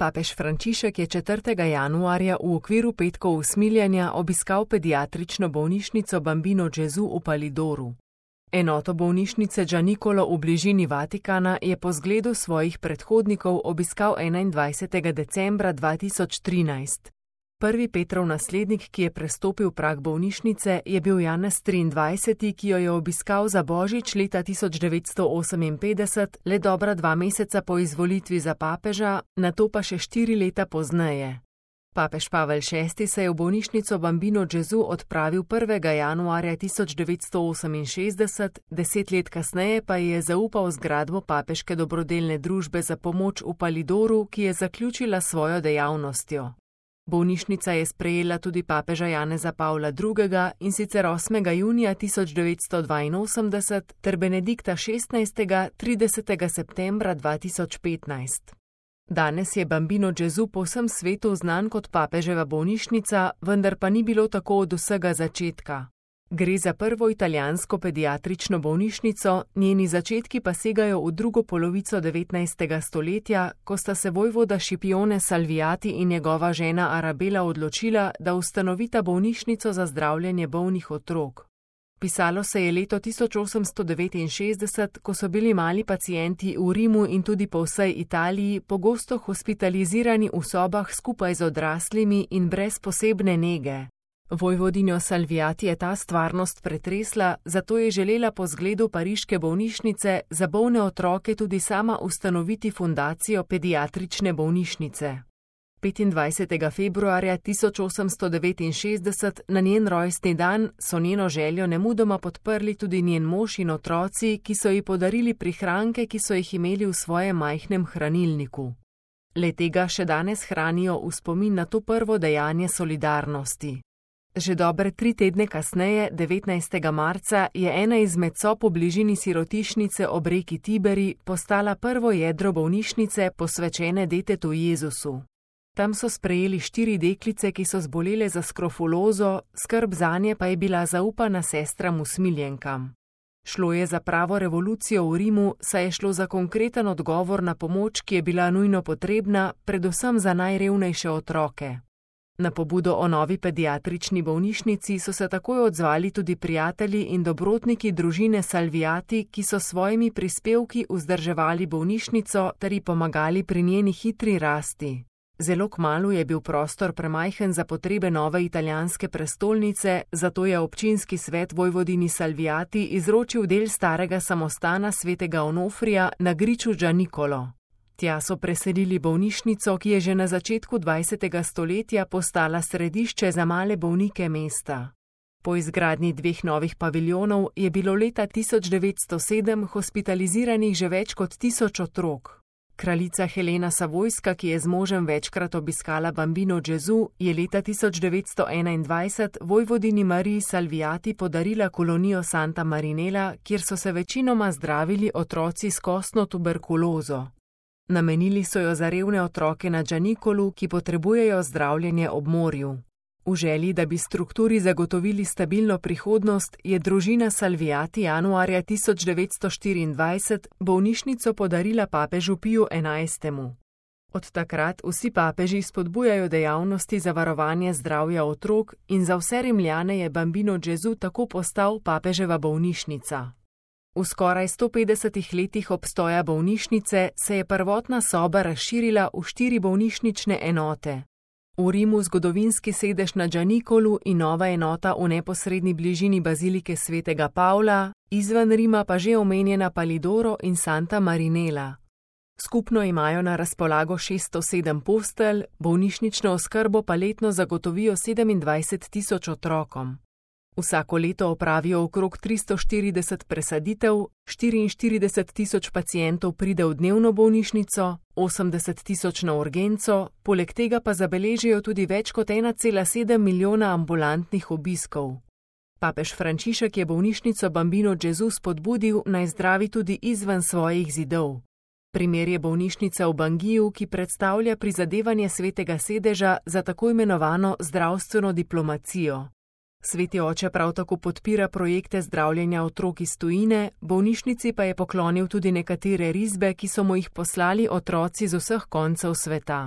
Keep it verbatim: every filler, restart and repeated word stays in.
Papež Frančišek je četrtega januarja v okviru petkov usmiljenja obiskal pediatrično bolnišnico Bambino Gesù v Palidoru. Enoto bolnišnice Gianicolo v bližini Vatikana je po zgledu svojih predhodnikov obiskal enaindvajsetega decembra dva tisoč trinajst. Prvi Petrov naslednik, ki je prestopil prag bolnišnice, je bil Janez triindvajseti, ki jo je obiskal za božič leta tisoč devetsto oseminpetdeset, le dobra dva meseca po izvolitvi za papeža, nato pa še štiri leta pozneje. Papež Pavel šesti se je v bolnišnico Bambino Gesù odpravil prvega januarja tisoč devetsto oseminšestdeset, deset let kasneje pa je zaupal zgradbo papeške dobrodelne družbe za pomoč v Palidoru, ki je zaključila svojo dejavnostjo. Bolnišnica je sprejela tudi papeža Janeza Pavla drugega, in sicer osmega junija tisoč devetsto dvainosemdeset ter Benedikta šestnajstega tridesetega septembra dva tisoč petnajst. Danes je Bambino Gesù po vsem svetu znan kot papeževa bolnišnica, vendar pa ni bilo tako od vsega začetka. Gre za prvo italijansko pediatrično bolnišnico, njeni začetki pa segajo v drugo polovico devetnajstega stoletja, ko sta se vojvoda Scipione Salviati in njegova žena Arabela odločila, da ustanovita bolnišnico za zdravljenje bolnih otrok. Pisalo se je leto tisoč osemsto devetinšestdeset, ko so bili mali pacienti v Rimu in tudi po vsej Italiji pogosto hospitalizirani v sobah skupaj z odraslimi in brez posebne nege. Vojvodinjo Salviati je ta stvarnost pretresla, zato je želela po zgledu pariške bolnišnice za bolne otroke tudi sama ustanoviti fundacijo pediatrične bolnišnice. petindvajsetega februarja tisoč osemsto devetinšestdeset, na njen rojstni dan, so njeno željo nemudoma podprli tudi njen mož in otroci, ki so ji podarili prihranke, ki so jih imeli v svojem majhnem hranilniku. Le tega še danes hranijo v spomin na to prvo dejanje solidarnosti. Že dobre tri tedne kasneje, devetnajstega marca, je ena izmed sob v bližini sirotišnice ob reki Tiberi postala prvo jedro bolnišnice, posvečene detetu Jezusu. Tam so sprejeli štiri deklice, ki so zbolele za skrofulozo, skrb zanje pa je bila zaupana sestram usmiljenkam. Šlo je za pravo revolucijo v Rimu, saj je šlo za konkreten odgovor na pomoč, ki je bila nujno potrebna, predvsem za najrevnejše otroke. Na pobudo o novi pediatrični bolnišnici so se takoj odzvali tudi prijatelji in dobrotniki družine Salviati, ki so svojimi prispevki vzdrževali bolnišnico ter ji pomagali pri njeni hitri rasti. Zelo kmalu je bil prostor premajhen za potrebe nove italijanske prestolnice, zato je občinski svet vojvodini Salviati izročil del starega samostana svetega Onofrija na griču Gianicolo. Tja so preselili bolnišnico, ki je že na začetku dvajsetega stoletja postala središče za male bolnike mesta. Po izgradnji dveh novih paviljonov je bilo leta tisoč devetsto sedem hospitaliziranih že več kot tisoč otrok. Kraljica Helena Savojska, ki je z možem večkrat obiskala Bambino Gesù, je leta tisoč devetsto enaindvajset vojvodini Mariji Salviati podarila kolonijo Santa Marinella, kjer so se večinoma zdravili otroci s kostno tuberkulozo. Namenili so jo za revne otroke na Gianicolu, ki potrebujejo zdravljenje ob morju. V želji, da bi strukturi zagotovili stabilno prihodnost, je družina Salviati januarja tisoč devetsto štiriindvajset bolnišnico podarila papežu Piju enajstemu. Od takrat vsi papeži spodbujajo dejavnosti za varovanje zdravja otrok in za vse Rimljane je Bambino Gesù tako postal papeževa bolnišnica. V skoraj sto petdesetih letih obstoja bolnišnice se je prvotna soba razširila v štiri bolnišnične enote. V Rimu zgodovinski sedež na Gianicolu in nova enota v neposredni bližini bazilike svetega Pavla, izven Rima pa že omenjena Palidoro in Santa Marinella. Skupno imajo na razpolago šeststo sedem postelj, bolnišnično oskrbo pa letno zagotovijo sedemindvajset tisoč otrokom. Vsako leto opravijo okrog tristo štirideset presaditev, štiriinštirideset tisoč pacientov pride v dnevno bolnišnico, osemdeset tisoč na urgenco, poleg tega pa zabeležijo tudi več kot ena cela sedem milijona ambulantnih obiskov. Papež Frančišek je bolnišnico Bambino Gesù spodbudil, naj zdravi tudi izven svojih zidov. Primer je bolnišnica v Bangiju, ki predstavlja prizadevanje svetega sedeža za tako imenovano zdravstveno diplomacijo. Sveti oče prav tako podpira projekte zdravljenja otrok iz tujine, bolnišnici pa je poklonil tudi nekatere risbe, ki so mu jih poslali otroci z vseh koncev sveta.